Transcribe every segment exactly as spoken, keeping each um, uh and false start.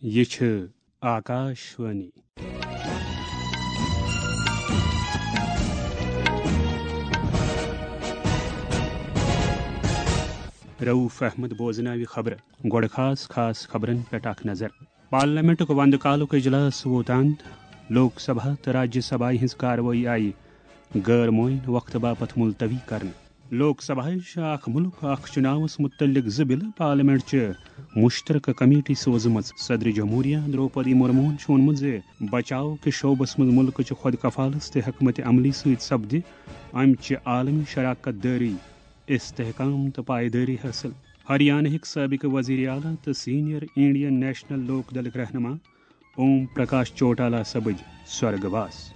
یہِ چھِ آکاش وانی۔ رؤف احمد بوزناوِ خبرٕ۔ گۄڈٕ خاص خاص خبرن پٮ۪ٹھ اکھ نظر۔ پارلیمنٹُک وندٕ کالُک اجلاس ووت اند۔ لوک سبھا تہٕ راجیہ سبھایہ ہٕنٛز کاروٲیی آیہِ غٲر معین وقتہٕ باپتھ ملتوی کرنہٕ۔ لوک سبھایہ چھِ اکھ مُلک اکھ چُناوس مُتعلق زٕ بِلہٕ پارلیمنٹ چہِ مُشترکہٕ کمیٹی سوزمٕژ۔ صدر جمہوریہ درٛوپدی مُرموٗہن چھُ ووٚنمُت زِ بچاو کِس شعبس منٛز مُلکٕچہِ خۄد کفالت تہٕ حکمت عملی سۭتۍ سپدِ امہِ چہِ عالمی شراکت دٲری استحکام تہٕ پائیدٲری حٲصِل۔ ہریانہٕکۍ سٲبقہٕ وزیر اعلیٰ تہٕ سینئر انڈین نیشنل لوک دلٕکۍ رہنما اوم پرکاش چوٹالا سپٕدۍ سورگ واس۔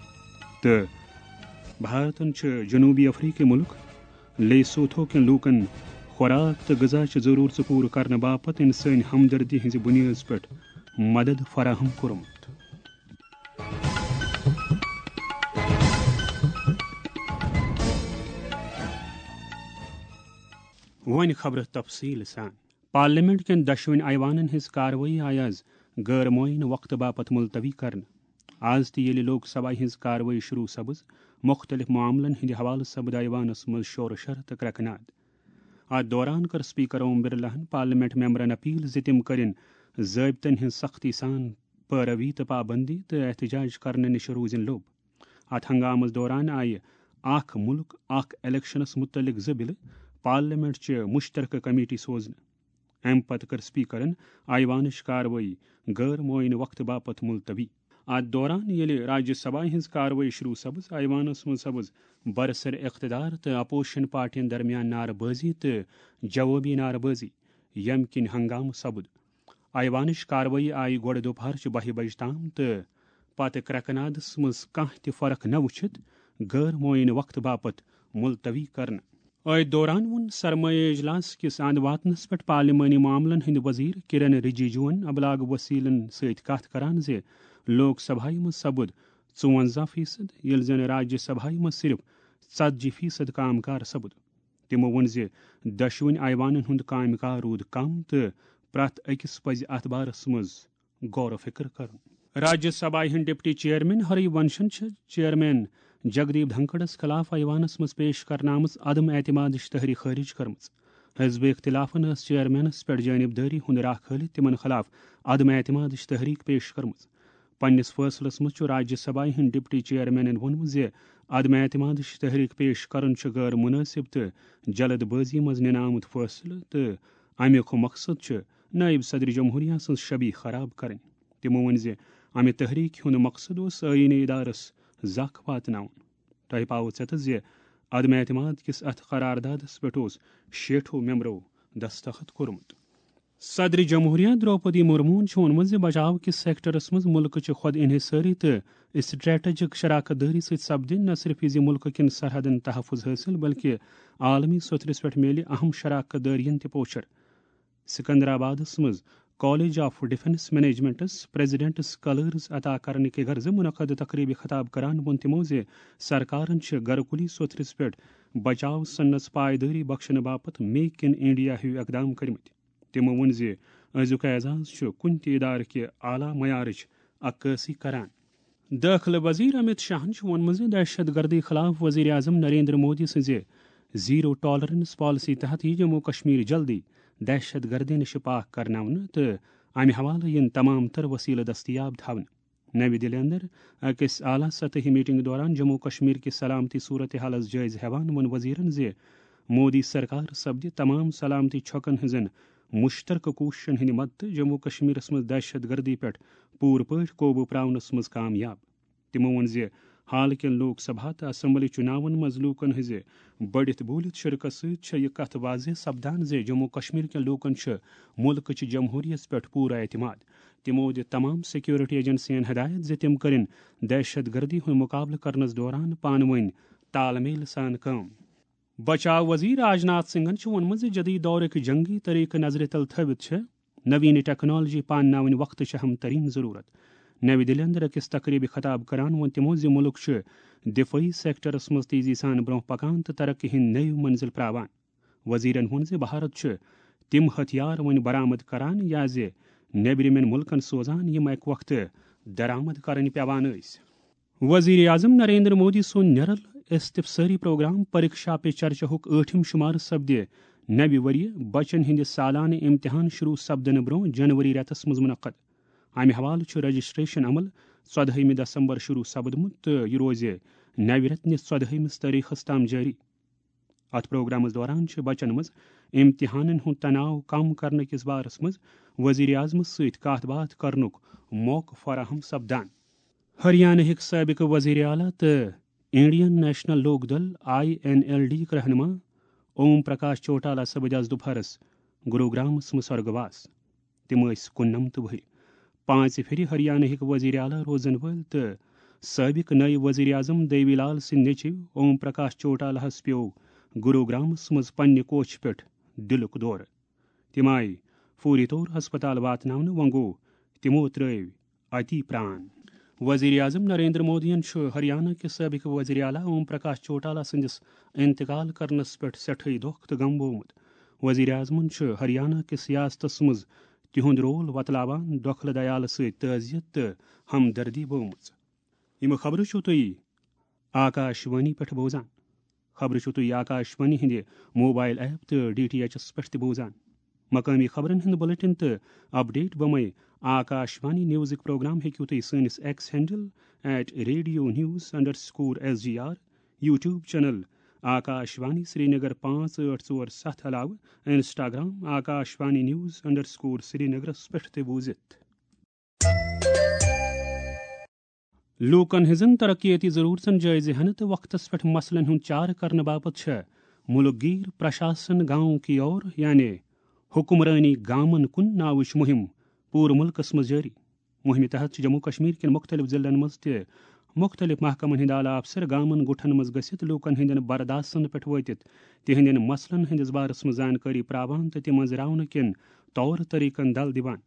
تہٕ بھارتن چھُ جنوبی افریقی مُلک لیسوتھو کٮ۪ن لوٗکن خوراک تہٕ غذا چہِ ضروٗرژٕ پوٗرٕ کرنہٕ باپتھ انسٲنی ہمدردی ہٕنٛزِ بُنیٲدس پٮ۪ٹھ مدد فراہم کوٚرمُت۔ وۄنۍ خبرٕ تفصیٖل سان۔ پارلیمنٹ کٮ۪ن دۄشوٕنۍ ایوانن ہٕنٛز کاروٲیی آیہِ از غٲر معین وقتہٕ باپتھ ملتوی کرنہٕ۔ از تہِ ییٚلہِ لوک سبھایہ ہٕنٛز کاروٲیی شروع سپٕز، مُختٔلِف معاملن ہٕنٛدِ حوالہٕ سپٕد ایوانس منٛز شور و شر تہٕ کرٛٮ۪کہٕ ناد۔ اتھ دوران کٔر اسپیکر اوم برلاہن پارلیمنٹ ممبرن اپیل زِ تِم کٔرِن ضٲبطن ہٕنٛز سختی سان پٲروی تہٕ پابندی تہٕ احتجاج کرنہٕ نِش روٗزِن لوٚب۔ اتھ ہنگامس دوران آیہِ اکھ مُلک اکھ الیکشنس مُتعلق زٕ بِلہٕ پارلیمنٹ چہِ مُشترکہٕ کمیٹی سوزنہٕ۔ امہِ پتہٕ کٔر اسپیکرن ایوانٕچ کاروٲیی غٲر معین وقتہٕ باپتھ ملتوی۔ اتھ دوران ییٚلہِ راجیہ سبھایہ ہٕنٛز کاروٲیی شروع سپٕز، ایوانس منٛز سپٕز برسر اقتدار تہٕ اپوزیشن پارٹین درمیان نعرٕ بٲزی تہٕ جوابی نعرٕ بٲزی، ییٚمہِ کِنۍ ہنگامہٕ سپُد۔ ایوانٕچ کاروٲیی آیہِ گۄڈٕ دُپہرچہِ بَہہِ بجہِ تام تہٕ پتہٕ کرٛٮ۪کہٕ نادس منٛز کانٛہہ تہِ فرق نہ وُچھِتھ غٲر معین وقتہٕ باپتھ ملتوی کرنہٕ۔ أتھۍ دوران ووٚن سرمایہ اجلاس کِس اند واتنس پٮ۪ٹھ پارلیمانی معاملن ہٕنٛدۍ وزیر کرن رجیجوَن ابلاغ وسیلن سۭتۍ کتھ کران زِ لوک سبھایہ منٛز سپُد ژُوَنزاہ فیصد، ییٚلہِ زن راجیہ سبھایہ منٛز صرف ژتجی فیصد کامہِ کار سپُد۔ تِمو ووٚن زِ دۄشوٕنۍ ایوانن ہُنٛد کامہِ کار روٗد کم تہٕ پرٛٮ۪تھ أکِس پزِ اتھ بارس منٛز غور و فکر کرُن۔ راجیہ سبھایہ ہٕنٛدۍ ڈپٹی چیئرمین ہری ونشن چھِ چیئرمین جگدیپ دھنکڑس خلاف ایوانس منٛز پیش کرنہٕ آمٕژ عدم اعتمادٕچ تحریک خارج کٔرمٕژ۔ حزب اختلافن ٲس چیئرمینس پٮ۪ٹھ جانبدٲری ہُنٛد راہ کھٲلِتھ تِمن خلاف عدم اعتمادٕچ تحریک پیش کٔرمٕژ۔ پننِس فٲصلس منٛز چھُ راجیہ سبھایہ ہٕنٛدۍ ڈپٹی چیئرمینن ووٚنمُت زِ عدم اعتمادٕچ تحریک پیش کرُن چھُ غٲر مناسب تہٕ جلد بٲزی منٛز نِنہٕ آمُت فٲصلہٕ تہٕ امیُک مقصد چھُ نائب صدر جمہوریہ سٕنٛز شبیہ خراب کرٕنۍ۔ تِمو ووٚن زِ امہِ تحریک ہُنٛد مقصد اوس آئینی ادارس زکھ واتناوُن۔ تۄہہِ پاوٕ ژٮ۪تس زِ عدم اعتماد کِس اتھ قراردادس پٮ۪ٹھ اوس شیٹھو ممبرو دستخط کوٚرمُت۔ صدر جمہوریہ درٛوپدی مُرموٗہن چھُ ووٚنمُت زِ بچاو کِس سیکٹرس منٛز مُلکٕچہِ خۄد انحصٲری تہٕ اسٹریٹجک شراکت دٲری سۭتۍ سپدِ نہ صرف یہِ زِ مُلکہٕ کٮ۪ن سرحدن تحفظ حٲصِل، بلکہِ عالمی سوٚتھرِس پٮ۪ٹھ میلہِ اہم شراکت دٲرین تہِ پوچھر۔ سکندرآبادس منٛز college of defence managements presidents colours عطا کرنہٕ کہِ غرضہٕ منعقد تقریبہِ خطاب کران ووٚن تِمو زِ سرکارن چھِ گرٕ کُلی سوٚتھرِس پٮ۪ٹھ بچاو سنس پائیدٲری بخشنہٕ باپتھ میک ان انڈیا ہیوۍ اقدام کٔرمٕتۍ۔ تِمو ووٚن زِ أزیُک اعزاز چھُ کُنہِ تہِ ادارٕ کہِ اعلیٰ معیارٕچ عکٲسی کران۔ دٲخلہٕ وزیر امت شاہن چھُ ووٚنمُت زِ دہشت گردی خلاف وزیر اعظم نریندر مودی سٕنزِ زیرو ٹالرنس پالیسی تحت یِیہِ جموں کشمیر جلدی دہشت گردی نِش پاک کرناونہٕ تہٕ امہِ حوالہٕ یِن تمام تر وسیلہٕ دستیاب تھاونہٕ۔ نَوِ دِلہِ اندر أکِس اعلیٰ سطحی میٹنگ دوران جموں کشمیر کہِ سلامتی صورتحالس جٲیزٕ ہٮ۪وان ووٚن وزیرن زِ مودی سرکار سپدِ تمام سلامتی چھۄکن ہٕنزن مشترکہٕ کوٗششن ہٕنٛدِ مدتہٕ جموں کشمیرس منٛز دہشت گردی پٮ۪ٹھ پوٗرٕ پٲٹھۍ قوبوٗ پراونس منٛز کامیاب۔ تِمو ووٚن زِ حال کٮ۪ن لوک سبھا تہٕ اسمبلی چُناون منٛز لوٗکن ہٕنٛزِ بٔڑِتھ بوٗلِتھ شرکت سۭتۍ چھےٚ یہِ کتھ واضح سپدان زِ جموں کشمیر کٮ۪ن لوٗکن چھُ مُلکٕچہِ جمہوٗریت پٮ۪ٹھ پوٗرٕ اعتماد۔ تِمو دِژ تمام سیکورٹی ایجنسین ہدایت زِ تِم کٔرِن دہشت گردی ہُنٛد مُقابلہٕ کرنس دوران پانہٕ ؤنۍ تال میل سان کٲم۔ بچاو وزیر راجناتھ سنگھن چھُ ووٚنمُت زِ جدید دورٕکۍ جنگی طریقہٕ نظرِ تل تھٲوِتھ چھِ نوین ٹیکنالوجی پانناوٕنۍ وقتٕچ اہم ترین ضرورت۔ نَوِ دِلہِ اندر أکِس تقریبہِ خطاب کران ووٚن تِمو زِ مُلک چھُ دفٲعی سیکٹرس منٛز تیزی سان برونٛہہ پکان تہٕ ترقی ہٕنٛدۍ نٔوۍ منزل پراوان۔ وزیرن ووٚن زِ بھارت چھُ تِم ہتھیار وۄنۍ برآمد کران یا زِ نیبرِمٮ۪ن مُلکن سوزان، یِم اَکہِ وقتہٕ درآمد کرٕنۍ پٮ۪وان ٲسۍ۔ وزیر اعظم نریندر مودی سُنٛد نِرل استفسٲری پروگرام پریکشا پے چرچاہُک ٲٹھِم شُمارٕ سپدِ نوِ ؤریہِ بچن ہٕنٛدِ سالانہٕ امتحان شروع سپدنہٕ برٛونٛہہ جنوری رٮ۪تس منٛز منعقد۔ امہِ حوالہٕ چھُ رجسٹریشن عمل ژۄدہٲیمہِ دسمبر شروع سپدمُت تہٕ یہِ روزِ نوِ رٮ۪تہٕ نِس ژۄدہٲیمِس تٲریخس تام جٲری۔ اتھ پروگرامس دوران چھِ بچن منٛز امتحانن ہُنٛد تناو کم کرنہٕ کِس بارس منٛز وزیر اعظمس سۭتۍ کتھ باتھ کرنُک موقعہٕ فراہم سپدان۔ ہریانہٕکۍ سابق وزیر اعلیٰ تہٕ انڈین نیشنل لوک دل، آئی این ایل ڈی، یِک رہنما اوم پرکاش چوٹالا سپٕدۍ آز دُپہرس گروگرامس منٛز سرگواس۔ تِم ٲسۍ کُننمتھ وٕہٕرۍ۔ پانٛژِ پھِرِ ہریانہٕکۍ وزیر اعلیٰ روزن وٲلۍ تہٕ سٲبق نٲیِب وزیر اعظم دیوی لال سٕنٛدۍ نیٚچِو اوم پرکاش چوٹالاہس پیوٚو گروگرامس منٛز پننہِ کوٹھۍ پٮ۪ٹھ دِلُک دورٕ۔ تِم آیہِ فوری طور ہسپتال واتناونہٕ، وۄنۍ گوٚو تِمو ترٲوۍ اتی پران۔ وزیر اعظم نریندر مودیَن چھُ ہریانہ کِس سٲبق وزیر اعلیٰ اوم پرکاش چوٹالا سٕنٛدِس انتقال کرنس پٮ۪ٹھ سٮ۪ٹھٕے دۄکھ تہٕ غم بوومُت۔ وزیر اعظمن چھُ ہریانہ کِس سیاستس منٛز تِہُنٛد رول وۄتلاوان دۄکھلہٕ دیالہٕ سۭتۍ تعزیت تہٕ ہمدردی بٲومٕژ۔ یِم خبرٕ چھِو تُہۍ آکاش وانی پٮ۪ٹھ بوزان۔ خبرٕ چھِو تُہۍ آکاش وانی ہٕنٛدِ موبایل ایپ تہٕ ڈی ٹی ایچ ایس پٮ۪ٹھ تہِ بوزان۔ مقٲمی خبرن ہُنٛد بلیٹن تہٕ اپڈیٹ بمے آکاش وانی نیوزٕکۍ پروگرام ہیٚکِو تُہۍ سٲنِس X handle at radio news underscore S G R, YouTube channel Akashvani Srinagar پانٛژھ ٲٹھ ژور ستھ علاوٕ Instagram Akashvani news underscore سرینگرس پٮ۪ٹھ تہِ بوٗزِتھ۔ لوٗکن ہٕنٛزن ترقیتی ضروٗرتن جٲیزٕ ہٮ۪نہٕ تہٕ وقتس پٮ۪ٹھ مسلن ہُنٛد چارٕ کرنہٕ باپتھ چھےٚ مُلک گیر پرشاسن گاؤں کی اور، یعنی حکمرٲنی گامن کُن ناوٕچ مُہِم پوٗرٕ مُلکس منٛز جٲری۔ مُہِمہِ تحت چھِ جموں کشمیر کٮ۪ن مُختٔلِف ضلعن منٛز تہِ مُختٔلِف محکمن ہٕنٛدۍ اعلیٰ افسر گامن گُٹھن منٛز گٔژھِتھ لوٗکن ہٕنٛدٮ۪ن برداشتن پٮ۪ٹھ وٲتِتھ تِہنٛدٮ۪ن مسلن ہٕنٛدِس بارس منٛز زانکٲری پراوان تہٕ تِم أنٛزراونہٕ کٮ۪ن طور طریقن دل دِوان۔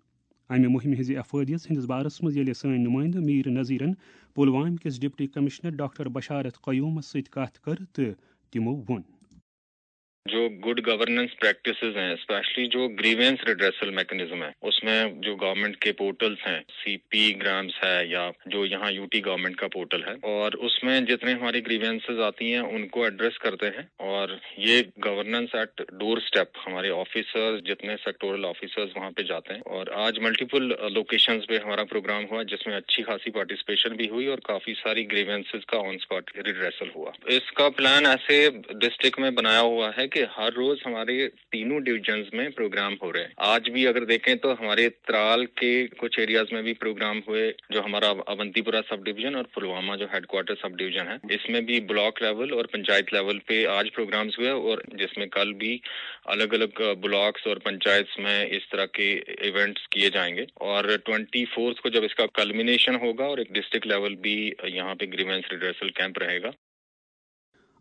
امہِ مُہِمہِ ہٕنٛزِ افٲدیت ہٕنٛدِس بارس منٛز ییٚلہِ سٲنۍ نُمٲیندٕ میٖر نذیرن پلوامہِ کِس ڈپٹی کمشنر ڈاکٹر بشارت قیومس سۭتۍ کتھ کٔر تہٕ تِمو ووٚن۔ جو گڈ گورننس پریکٹسز ہیں، اسپیشلی جو گریونس ریڈریسل میکنزم ہے، اس میں جو گورنمنٹ کے پورٹلز ہیں، سی پی گرامز ہے یا جو یہاں یو ٹی گورنمنٹ کا پورٹل ہے، اور اس میں جتنے ہماری گریونسز آتی ہیں ان کو ایڈریس کرتے ہیں، اور یہ گورننس ایٹ ڈور اسٹیپ ہمارے آفیسرز، جتنے سیکٹورل آفیسرز وہاں پہ جاتے ہیں، اور آج ملٹیپل لوکیشنز پہ ہمارا پروگرام ہوا جس میں اچھی خاصی پارٹیسپیشن بھی ہوئی اور کافی ساری گریونسز کا آن اسپاٹ ریڈریسل ہوا۔ اس کا پلان ایسے ڈسٹرکٹ میں بنایا ہوا ہے کہ ہر روز ہمارے تینوں ڈویژنز میں پروگرام ہو رہے ہیں۔ آج بھی اگر دیکھیں تو ہمارے ترال کے کچھ ایریاز میں بھی پروگرام ہوئے، جو ہمارا اونتی پورہ سب ڈویژن اور پلوامہ جو ہیڈ کوارٹر سب ڈویژن ہے، اس میں بھی بلاک لیول اور پنچایت لیول پہ آج پروگرامز ہوئے، اور جس میں کل بھی الگ الگ بلاکس اور پنچایتس میں اس طرح کے ایونٹس کیے جائیں گے، اور ٹوئنٹی فورتھ کو جب اس کا کلمینیشن ہوگا اور ایک ڈسٹرکٹ لیول بھی یہاں پہ گریونس ریڈریسل کیمپ رہے گا۔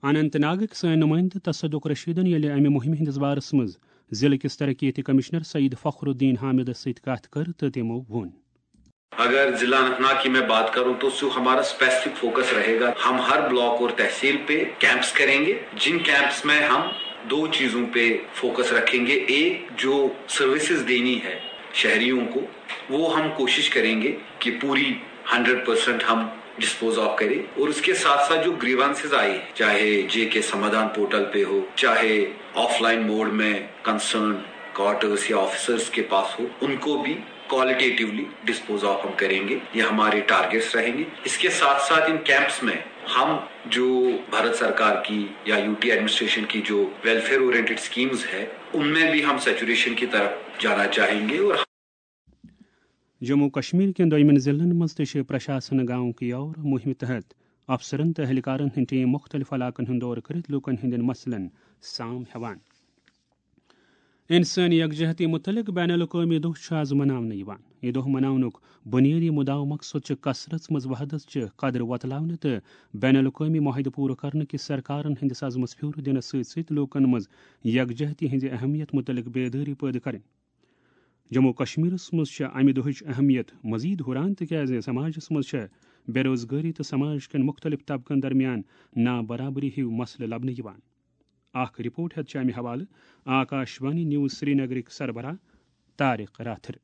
اننت ناگٕکۍ سٲنۍ نُمٲیندٕ تصدق رشیدن ییٚلہِ امہِ مُہِمہِ ہٕنٛدِس بارس منٛز ضلعہٕ کِس ترقیتی کمشنر سید فخر الدین حامدس سۭتۍ کتھ کٔر تہٕ تِمو ووٚن۔ اگر ضلع اننت ناگ کی میں بات کروں تو سو ہمارا اسپیسیفک فوکس رہے گا، ہم ہر بلاک اور تحصیل پہ کیمپس کریں گے، جن کیمپس میں ہم دو چیزوں پہ فوکس رکھیں گے۔ ایک جو سروسز دینی ہے شہریوں کو، وہ ہم کوشش کریں گے کہ پوری ہنڈریڈ پرسینٹ ہم ڈسپوز آف کریں، اور اس کے ساتھ ساتھ جو گریوانسز آئی، چاہے جے کے سمادھان پورٹل پہ ہو، چاہے آف لائن موڈ میں کنسرن کوارٹرز یا آفیسرز کے پاس ہو، ان کو بھی کوالیٹیٹیولی ڈسپوز آف ہم کریں گے۔ یہ ہمارے ٹارگیٹس رہیں گے۔ اس کے ساتھ ساتھ ان کیمپس میں ہم جو بھارت سرکار کی یا یو ٹی ایڈمنسٹریشن کی جو ویلفیئر اورینٹڈ اسکیمز ہے، ان میں بھی ہم سیچوریشن کی طرف جانا چاہیں گے اور جموں کشمیر کٮ۪ن دوٚیمٮ۪ن ضلعن منٛز تہِ چھِ پرشاسن گاؤں کی اور مُہِمہِ تحت افسرن تہٕ اہلکارن ہٕنٛدۍ ٹیم مُختٔلِف علاقن ہُنٛد دورٕ کٔرِتھ لوٗکن ہٕنٛدٮ۪ن مسلن سام ہٮ۪وان۔ انسٲنی یکجہتی متعلق بین الاقوٲمی دۄہ چھُ آز مناونہٕ یِوان۔ یہِ دۄہ مناونُک بُنیٲدی مُدعا و مقصد چھُ کثرت منٛز وحدت چہِ قدر وۄتلاونہٕ تہٕ بین الاقوٲمی معاہدٕ پوٗرٕ کرنہٕ کِس سرکارن ہٕنٛدِس عزمس پھیوٗر دِنس سۭتۍ سۭتۍ لوٗکن منٛز یکجہتی ہٕنٛزِ اہمیت مُتعلق بیدٲری پٲدٕ کرٕنۍ۔ جموں و کشمیرس منٛز چھےٚ امہِ دۄہٕچ اہمیت مزید ہُران، تِکیازِ سماجس منٛز چھےٚ بے روزگٲری تہٕ سماج کٮ۪ن مُختٔلِف طبقن درمیان نابرابری ہِوۍ مسلہٕ لبنہٕ یِوان۔ اکھ رپورٹ ہٮ۪تھ چھِ امہِ حوالہٕ آکاش وانی نیوز سرینگرٕکۍ سربراہ طارق راتھر۔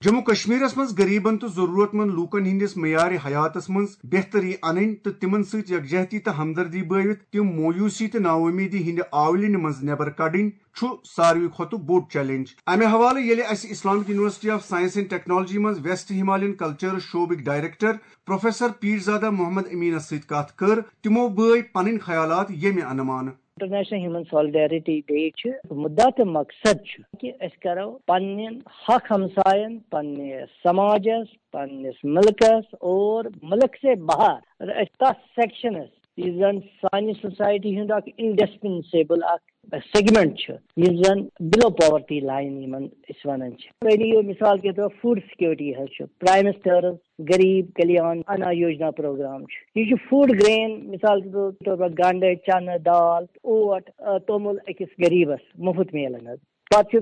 جموں کشمیرس منٛز غریبن تہٕ ضرورت مند لوٗکن ہٕنٛدِس معیار حیاتس منٛز بہتری انٕنۍ تہٕ تِمن سۭتۍ یکجہتی تہٕ ہمدردی بٲوِتھ تِم مویوٗسی تہٕ ناامیدی ہٕنٛدِ آولِنہِ منٛز نٮ۪بر کڑٕنۍ چھُ ساروی کھۄتہٕ بوٚڑ چیلنج۔ امہِ حوالہٕ ییٚلہِ اسہِ Islamic university of science and technology منٛز ویسٹ ہمالین کلچرز شعبٕکۍ ڈائریکٹر پروفیسر پیرزادہ محمد امینس سۭتۍ کتھ کٔر، تِمو بٲوۍ پنٕنۍ خیالات ییٚمہِ انہٕ مانہٕ۔ انٹرنیشنل ہیومن سالیڈیرٹی ڈے چھُ مُدا تہٕ مقصد چھُ کہِ أسۍ کرو پننٮ۪ن حق ہمساین، پننِس سماجس، پننِس ملکس اور ملک سے باہر أسۍ تتھ سیکشنس یُس زن سانہِ سوسایٹی ہُنٛد اکھ انڈسپنسیبل اکھ سیگمنٹ چھُ، یُس زن بلو پاورٹی لائن یِمن أسۍ ونان چھِ۔ یعنی یہِ مثال کے طور فوڈ سیکورٹی حظ چھُ، پرائم منسٹرز غریب کلیان انا یوجنا پروگرام چھُ۔ یہِ چھُ فوڈ گرین، مثال کے طور پر گنڈٕ، چنہٕ، دال، اوٹ، آ، توٚمُل أکِس غریبس مُفت میلان حظ۔ پتہٕ چھُ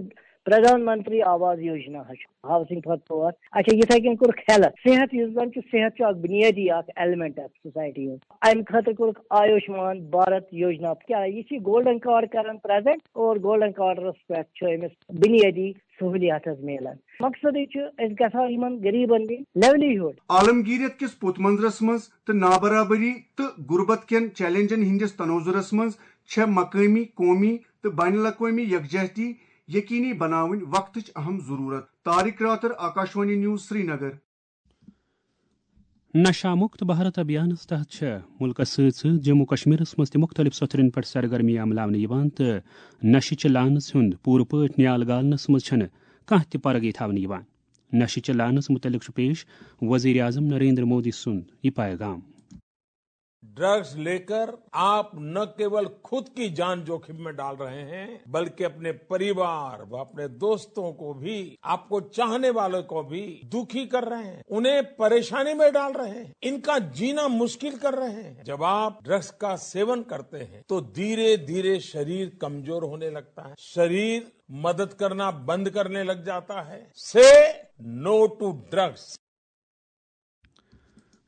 پردھان منتری آواس یوجنا حظ چھُ، ہاؤسنگ فار پور۔ اچھا، یِتھے کٔنۍ کوٚرُکھ ہیلتھ، صحت یُس زن چھُ، صحت چھُ اکھ بُنیٲدی اکھ ایلیمنٹ اکھ سوسایٹی ہُنٛد۔ امہِ خٲطرٕ کوٚرُکھ آیوشمان بھارت یوجنا۔ کیٛاہ یہِ چھِ گولڈن کارڈ کران پریزنٹ اور گولڈن کارڈس پٮ۪ٹھ چھُ أمِس بُنیٲدی سہولیات حظ میلان۔ مقصدٕے چھُ أسۍ گژھو یِمن غریبن دِنۍ لیولِہُڈ۔ عالمگیریت کِس پوٚت منظرس منٛز تہٕ نابرابری تہٕ غربت کٮ۪ن چیلنجن ہٕنٛدِس تناظرس منٛز چھےٚ مقٲمی، قومی تہٕ بین الاقوٲمی یکجہتی یقینی بناوٕنۍ وقتٕچ اہم ضرورت۔ طارق راتر، آکاشوانی نیوز، سرینگر۔ نشہ مکت بھارت ابھیانس تحت چھےٚ ملکس سۭتۍ سۭتۍ جموں کشمیرس منٛز تہِ مختلف سوٚتھرن پٮ۪ٹھ سرگرمی عملاونہٕ یِوان تہٕ نشہٕ چہِ لعنس ہُنٛد پوٗرٕ پٲٹھۍ نیال گالنس منٛز چھنہٕ کانٛہہ تہِ پرگے تھاونہٕ یِوان۔ نشہٕ چہِ لعنس متعلق چھُ پیش وزیر اعظم نریندر مودی سُنٛد یہِ پیغام۔ ड्रग्स लेकर आप न केवल खुद की जान जोखिम में डाल रहे हैं, बल्कि अपने परिवार व अपने दोस्तों को भी, आपको चाहने वालों को भी दुखी कर रहे हैं, उन्हें परेशानी में डाल रहे हैं, इनका जीना मुश्किल कर रहे हैं। जब आप ड्रग्स का सेवन करते हैं तो धीरे धीरे शरीर कमजोर होने लगता है, शरीर मदद करना बंद करने लग जाता है। से नो टू ड्रग्स।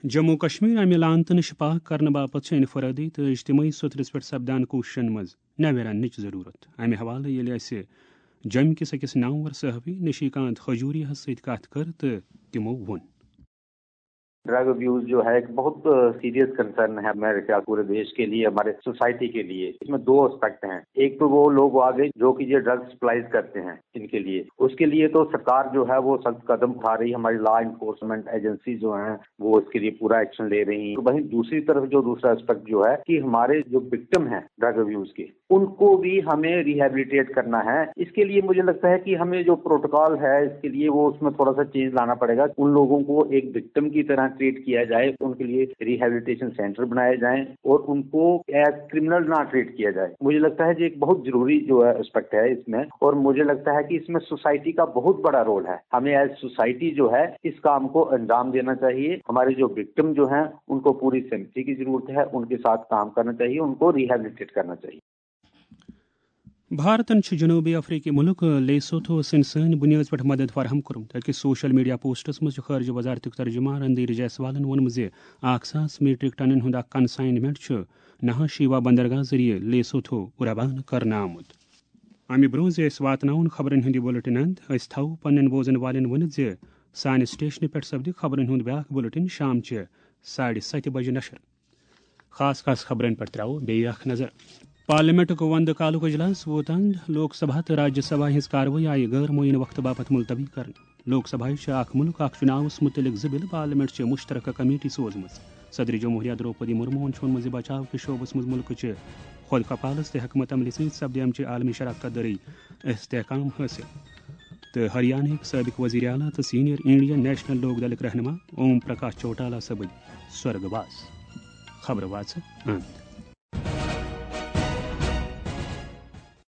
جموں و کشمیر امہِ لعنتہٕ نِش پاک کرنہٕ باپتھ چھِ انفرادی تہٕ اجتماعی سطرس پٮ۪ٹھ سپدان کوٗششن منٛز نوٮ۪ن اننٕچ ضروٗرت۔ امہِ حوالہٕ ییٚلہِ اسہِ جوٚمہِ کِس أکِس نامور صحافی نشیکانت کھجوریہس سۭتۍ کتھ کٔر تہٕ تِمو ووٚن۔ ड्रग अब्यूज जो है एक बहुत सीरियस कंसर्न है मेरे ख्याल पूरे देश के लिए, हमारे सोसाइटी के लिए। इसमें दो एस्पेक्ट हैं। एक तो वो लोग आ गए जो कि ये ड्रग सप्लाईज करते हैं इनके लिए, उसके लिए तो सरकार जो है वो सख्त कदम उठा रही है, हमारी लॉ इन्फोर्समेंट एजेंसी जो हैं वो इसके लिए पूरा एक्शन ले रही हैं। वहीं दूसरी तरफ जो दूसरा एस्पेक्ट जो है कि हमारे जो विक्टिम हैं ड्रग अब्यूज के, उनको भी हमें रिहेबिलिटेट करना है। इसके लिए मुझे लगता है कि हमें जो प्रोटोकॉल है इसके लिए वो उसमें थोड़ा सा चेंज लाना पड़ेगा। उन लोगों को एक विक्टिम की तरह ट्रीट किया जाए, उनके लिए रिहेबिलिटेशन सेंटर बनाए जाएं और उनको एज क्रिमिनल ना ट्रीट किया जाए। मुझे लगता है ये एक बहुत जरूरी जो है एस्पेक्ट है इसमें, और मुझे लगता है कि इसमें सोसाइटी का बहुत बड़ा रोल है। हमें एज सोसाइटी जो है इस काम को अंजाम देना चाहिए। हमारे जो विक्टिम जो हैं उनको पूरी सिंपथी की जरूरत है, उनके साथ काम करना चाहिए, उनको रिहेबिलिटेट करना चाहिए। بھارتن چھُ جنوبی افریقی ملک لیسوتھوس سٕنٛدِ سٲنۍ بُنیٲدۍ پٲٹھۍ مدد فراہم کوٚرمُت۔ أکِس سوشل میڈیا پوسٹس منٛز چھُ خارجہ وزارتُک ترجمان رندھیر جیسوالن ووٚنمُت زِ اکھ ساس میٹرک ٹنن ہُنٛد اکھ کنسائنمنٹ چھُ نہا شیوا بندرگاہ ذٔریعہٕ لیسوتھو روانہٕ کرنہٕ آمُت۔ امہِ برٛونٛہہ زِ أسۍ واتناوون خبرن ہُنٛد یہِ بُلٹن اند، أسۍ تھاوو پننٮ۪ن بوزن والٮ۪ن ؤنِتھ زِ سانہِ سٹیشنہٕ پٮ۪ٹھ سپدِ خبرن ہُنٛد بیاکھ بُلٹن شام چہِ ساڑِ ستہِ بجہِ نشر۔ خاص خاص خبرن پٮ۪ٹھ ترٛاوو بیٚیہِ اکھ نظر۔ پارلیمنٹُک وندٕ کالُک اجلاس ووت اند۔ لوک سبھا تہٕ راجیہ سبھا ہٕنٛز کاروٲیی آیہِ غٲر معینہٕ وقتہٕ باپتھ ملتوی کرنہٕ۔ لوک سبھایہ چھِ اکھ ملک اکھ چُناوس مُتعلق زٕ بِلہٕ پارلیمنٹ چہِ مشترکہ کمیٹی سوزمٕژ۔ صدر جمہوریہ درٛوپدی مرموہن چھُ ووٚنمُت زِ بچاو کہِ شعبس منٛز ملکہٕ چہِ خود کفالس تہٕ حکمت عملی سۭتۍ سپدِ امچہِ عالمی شراکت دٲری استحکام حٲصِل۔ تہٕ ہریانہٕکۍ سٲبق وزیر اعلیٰ تہٕ سینئر انڈین نیشنل لوک دلٕکۍ رہنما اوم پرکاش چوٹالا سپٕدۍ سورگ واس۔ خبرٕ واژٕ اند۔